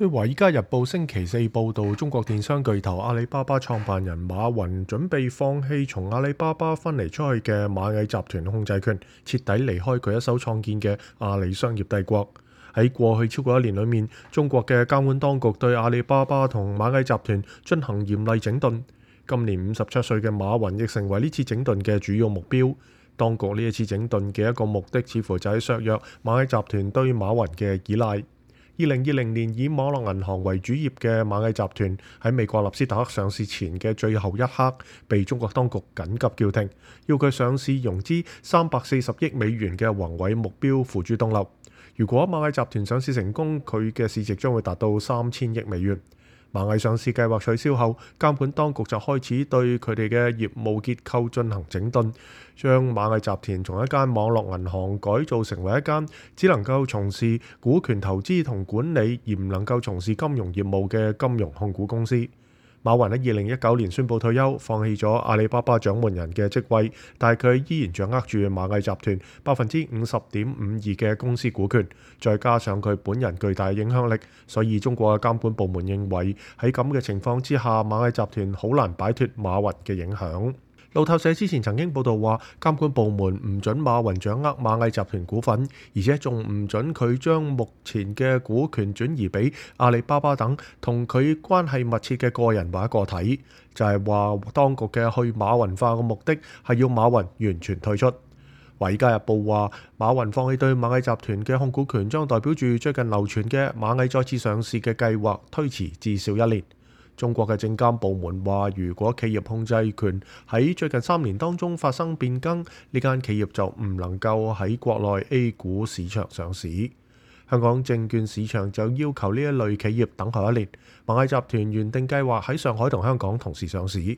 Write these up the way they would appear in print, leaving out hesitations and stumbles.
據《華爾街日報》星期四報導，中國電商巨頭阿里巴巴創辦人馬雲準備放棄從阿里巴巴分離出去嘅螞蟻集團控制權，徹底離開佢一手創建嘅阿里商業帝國。喺過去超過1年裏面，中國嘅監管當局對阿里巴巴同螞蟻集團進行嚴厲整頓。今年57歲嘅馬雲亦成為呢次整頓嘅主要目標。當局呢一次整頓嘅一個目的，似乎就係削弱螞蟻集團對馬雲嘅依賴。2020年以網絡銀行為主業嘅螞蟻集團喺美國納斯達克上市前嘅最後一刻，被中國當局緊急叫停，要佢上市融資340億美元嘅宏偉目標付諸東流。如果螞蟻集團上市成功，佢嘅市值將會達到3000億美元。螞蟻上市計劃取消後，監管當局就開始對佢哋嘅業務結構進行整頓，將螞蟻集團從一間網絡銀行改造成為一間只能夠從事股權投資同管理，而唔能夠從事金融業務嘅金融控股公司。馬雲喺2019年宣布退休，放棄咗阿里巴巴掌門人嘅職位，但係佢依然掌握住螞蟻集團50.52%嘅公司股權，再加上佢本人巨大嘅影響力，所以中國嘅監管部門認為喺咁嘅情況之下，螞蟻集團好難擺脫馬雲嘅影響。路透社之前曾經報道話，監管部門唔准馬雲掌握螞蟻集團股份，而且仲唔准佢將目前嘅股權轉移俾阿里巴巴等同佢關係密切嘅個人或者個體，就係話當局嘅去馬雲化嘅目的係要馬雲完全退出。《華爾街日報》話，馬雲放棄對螞蟻集團嘅控股權，將代表住最近流傳嘅螞蟻再次上市嘅計劃推遲至少1年。中國嘅證監部門話，如果企業控制權喺最近3年當中發生變更，呢間企業就唔能夠喺國內 A 股市場上市。香港證券市場就要求呢一類企業等候1年。螞蟻集團原定計劃喺上海同香港同時上市。《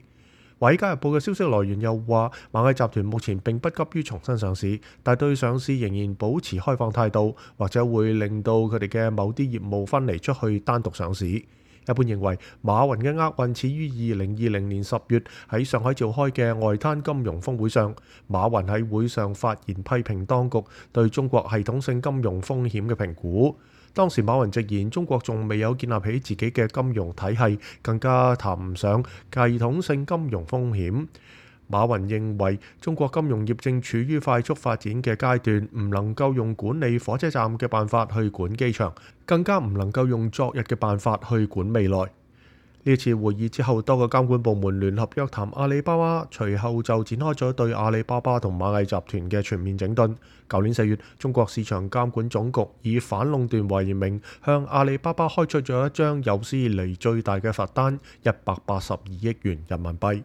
華爾街日報》嘅消息來源又話，螞蟻集團目前並不急於重新上市，但對上市仍然保持開放態度，或者會令到佢哋嘅某啲業務分離出去單獨上市。一般認為，馬雲嘅厄運始於2020年10月喺上海召開嘅外灘金融峰會上。馬雲喺會上發言批評當局對中國系統性金融風險嘅評估。當時馬雲直言，中國仲未有建立起自己嘅金融體系，更加談唔上系統性金融風險。馬雲認為中國金融業正處於快速發展嘅階段，唔能夠用管理火車站嘅辦法去管機場，更加唔能夠用昨日嘅辦法去管未來。呢次會議之後，多個監管部門聯合約談阿里巴巴，隨後就展開咗對阿里巴巴同螞蟻集團嘅全面整頓。舊年4月，中國市場監管總局以反壟斷為名，向阿里巴巴開出咗一張有史以嚟最大嘅罰單，182億元人民幣。